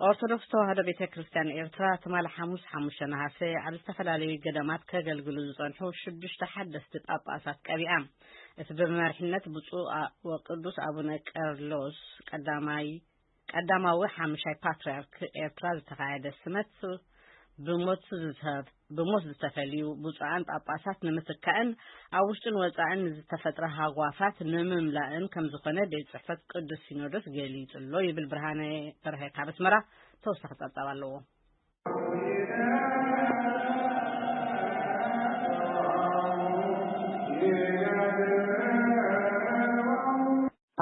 ኦርቶዶክስ ተዋህዶ ቤተ ክርስቲያን ኤርትራ ትማሊ ሓሙስ ሓሙሽተ ነሃሰ ኣብ ዝተፈላለዩ ገዳማት ከገልግሉ ዝጸንሑ ሽዱሽተ ሓደስቲ ጳጳሳት ቀቢኣ። እቲ ብመሪሕነት ብፁዕ አ-፣ ወቅዱስ ኣቡነ ቀርሎስ ቀዳማይ፣ ቀዳማዊ ሓምሻይ ፓትርያርክ ኤርትራ ዝተኻየደ ስመት ብሞት ዝተ-፣ ብሞት ዝተፈልዩ ብፁዓን ጳጳሳት ንምትካእን ኣብ ውሽጥን ወጻእን ዝተፈጥረ ሃጓፋት ንምምላእን ከም ዝኾነ ቤት ጽሕፈት ቅዱስ ሲኖዶስ ገሊጹ ኣሎ ይብል ብርሃነ በርሀ ካብ ኣስመራ። ተወሳኺ ጸብጻብ ኣለዎ።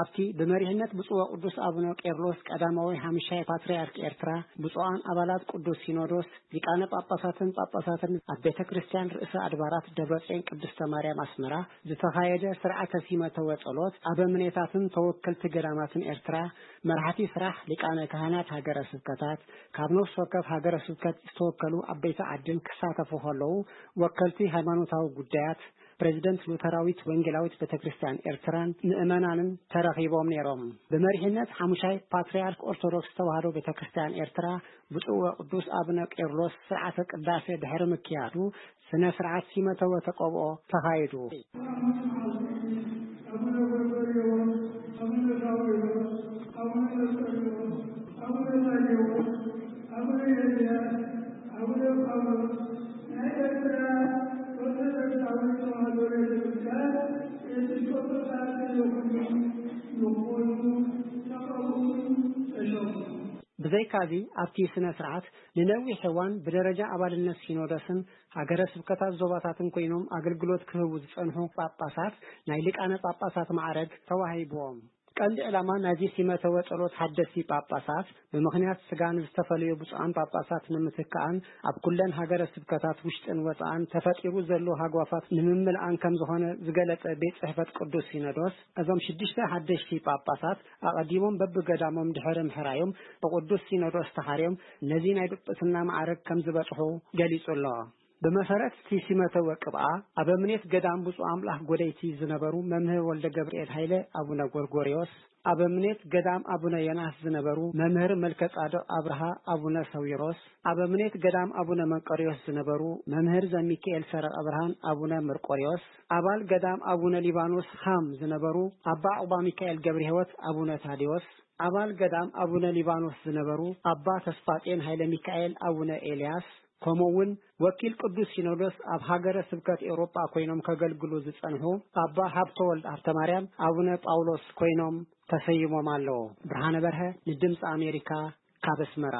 ኣብቲ ብመሪሕነት ብፁዕ ወቅዱስ ኣቡነ ቄርሎስ ቀዳማዊ ሓምሻይ ፓትርያርክ ኤርትራ፣ ብፁዓን ኣባላት ቅዱስ ሲኖዶስ፣ ሊቃነ ጳጳሳትን ጳጳሳትን ኣብ ቤተ ክርስቲያን ርእሰ ኣድባራት ደብረጽዮን ቅድስተ ማርያም ኣስመራ ዝተኻየደ ስርዓተ ሲመተ ወጸሎት፣ ኣበምኔታትን ተወከልቲ ገዳማትን ኤርትራ፣ መራሕቲ ስራሕ ሊቃነ ካህናት ሃገረ ስብከታት፣ ካብ ነፍሲ ወከፍ ሃገረ ስብከት ዝተወከሉ ዓበይቲ ዓድን ክሳተፉ ከለዉ፣ ወከልቲ ሃይማኖታዊ ጉዳያት፣ ፕሬዚደንት ሉተራዊት ወንጌላዊት ቤተ ክርስቲያን ኤርትራን ምእመናንን ተረኺቦም ነይሮም። ብመሪሕነት ሓሙሻይ ፓትርያርክ ኦርቶዶክስ ተዋህዶ ቤተ ክርስቲያን ኤርትራ ብፁዕ ወቅዱስ ኣቡነ ቄርሎስ ስርዓተ ቅዳሴ ድሕሪ ምክያዱ ስነ ስርዓት ሲመተ ወተቀብኦ ተኻይዱ። ኣቡነ ጎርጎርዮስ፣ ኣቡነ ሳዊሮስ፣ ኣቡነ መርቆሪዎስ፣ ኣቡነ ታዲዎስ፣ ኣቡነ ኤልያስ፣ ኣቡነ ጳውሎስ፣ ናይ ኤርትራ ኦርቶዶክሳዊት ተዋህዶ ቤተክርስትያን ኤጲስቆጶሳት ዘለኹሉ ንኾኑ ተቐብኡን ተሾሙ። ብዘይካዚ ኣብቲ ስነ ስርዓት ንነዊሕ እዋን ብደረጃ ኣባልነት ሲኖዶስን ሃገረ ስብከታት ዞባታትን ኮይኖም ኣገልግሎት ክህቡ ዝጸንሑ ጳጳሳት ናይ ሊቃነ ጳጳሳት ማዕረግ ተዋሂብዎም። ቀንዲ ዕላማ ናይዚ ሲመተ ወጸሎት ሓደስቲ ጳጳሳት ብምኽንያት ስጋ ንዝተፈለዩ ብፁዓን ጳጳሳት ንምትካኣን ኣብ ኩለን ሃገረ ስብከታት ውሽጥን ወጻእን ተፈጢሩ ዘሎ ሃጓፋት ንምምልኣን ከም ዝኾነ ዝገለጸ ቤት ጽሕፈት ቅዱስ ሲኖዶስ፣ እዞም ሽዱሽተ ሓደሽቲ ጳጳሳት ኣቐዲሞም በብገዳሞም ድሕሪ ምሕራዮም ብቅዱስ ሲኖዶስ ተሓርዮም ነዚ ናይ ጵጵስና ማዕረግ ከም ዝበጽሑ ገሊጹ ኣሎ። ብመሰረት እቲ ሲመተ ወቅብኣ፣ ኣበምኔት ገዳም ብፁዕ ኣምላኽ ጎደይቲ ዝነበሩ መምህር ወልደ ገብርኤል ሃይለ ኣቡነ ጎርጎርዮስ፣ ኣበምኔት ገዳም ኣቡነ ዮናስ ዝነበሩ መምህር መልከ ጻድቕ ኣብርሃ ኣቡነ ሰዊሮስ፣ ኣበምኔት ገዳም ኣቡነ መንቀርዮስ ዝነበሩ መምህር ዘሚካኤል ሰረቐ ብርሃን ኣቡነ መርቆርዮስ፣ ኣባል ገዳም ኣቡነ ሊባኖስ ሃም ዝነበሩ ኣባ ዕቑባ ሚካኤል ገብረ ሕይወት ኣቡነ ታዴዎስ፣ ኣባል ገዳም ኣቡነ ሊባኖስ ዝነበሩ ኣባ ተስፋጼን ሃይለ ሚካኤል ኣቡነ ኤልያስ፣ ከምኡ እውን ወኪል ቅዱስ ሲኖዶስ ኣብ ሃገረ ስብከት ኤውሮጳ ኮይኖም ከገልግሉ ዝጸንሑ ኣባ ሃብተወልድ ሃብተማርያም ኣቡነ ጳውሎስ ኮይኖም ተሰይሞም ኣለዉ። ብርሃነ በርሀ ንድምፂ ኣሜሪካ ካብ ኣስመራ።